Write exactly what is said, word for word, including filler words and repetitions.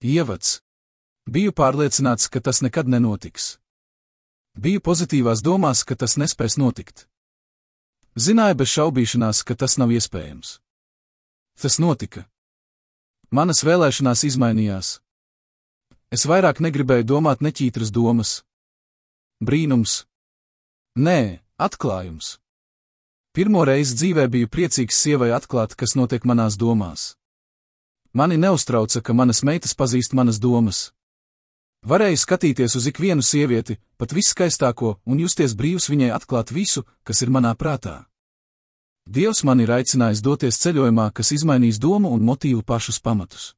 Ievads. Biju pārliecināts, ka tas nekad nenotiks. Biju pozitīvās domās, ka tas nespēs notikt. Zināju bez šaubīšanās, ka tas nav iespējams. Tas notika. Manas vēlēšanās izmainījās. Es vairāk negribēju domāt neķītras domas. Brīnums. Nē, atklājums. Pirmo reizi dzīvē biju priecīgs sievai atklāt, kas notiek manās domās. Mani neuztrauca, ka manas meitas pazīst manas domas. Varēju skatīties uz ikvienu sievieti, pat viskaistāko, un justies brīvs viņai atklāt visu, kas ir manā prātā. Dievs man ir aicinājis doties ceļojumā, kas izmainīs domu un motīvu pašus pamatus.